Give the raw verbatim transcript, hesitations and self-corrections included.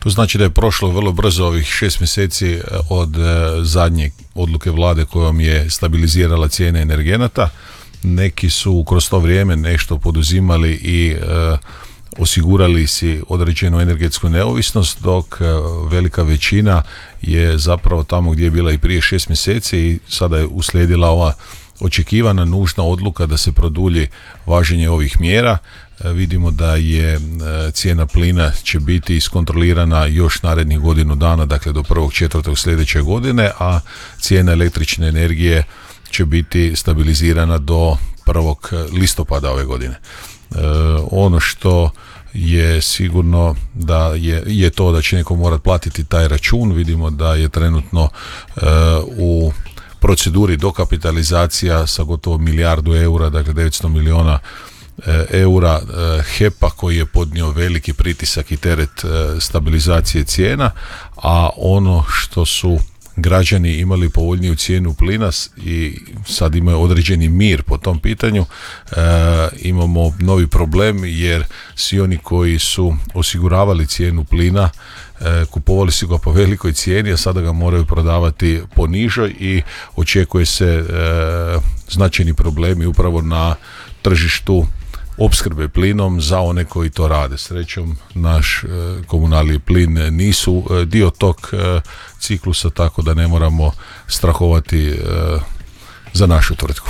To znači da je prošlo vrlo brzo ovih šest mjeseci od zadnje odluke vlade kojom je stabilizirala cijene energenata. Neki su kroz to vrijeme nešto poduzimali i e, osigurali si određenu energetsku neovisnost, dok velika većina je zapravo tamo gdje je bila i prije šest mjeseci i sada je uslijedila ova očekivana nužna odluka da se produlji važenje ovih mjera. Vidimo da je cijena plina će biti iskontrolirana još narednih godinu dana, dakle do prvog četvrtog sljedeće godine, a cijena električne energije će biti stabilizirana do prvog listopada ove godine. E, ono što je sigurno da je, je to da će neko morati platiti taj račun. Vidimo da je trenutno e, u proceduri dokapitalizacija sa gotovo milijardu eura, dakle devetsto milijuna eura H E P-a koji je podnio veliki pritisak i teret stabilizacije cijena, a ono što su građani imali povoljniju cijenu plina i sad imaju određeni mir po tom pitanju, e, imamo novi problem jer svi oni koji su osiguravali cijenu plina e, kupovali su ga po velikoj cijeni, a sada ga moraju prodavati po nižoj i očekuje se e, značajni problemi upravo na tržištu opskrbe plinom za one koji to rade. Srećom, naš e, komunalni plin nisu e, dio tog e, ciklusa, tako da ne moramo strahovati e, za našu tvrtku.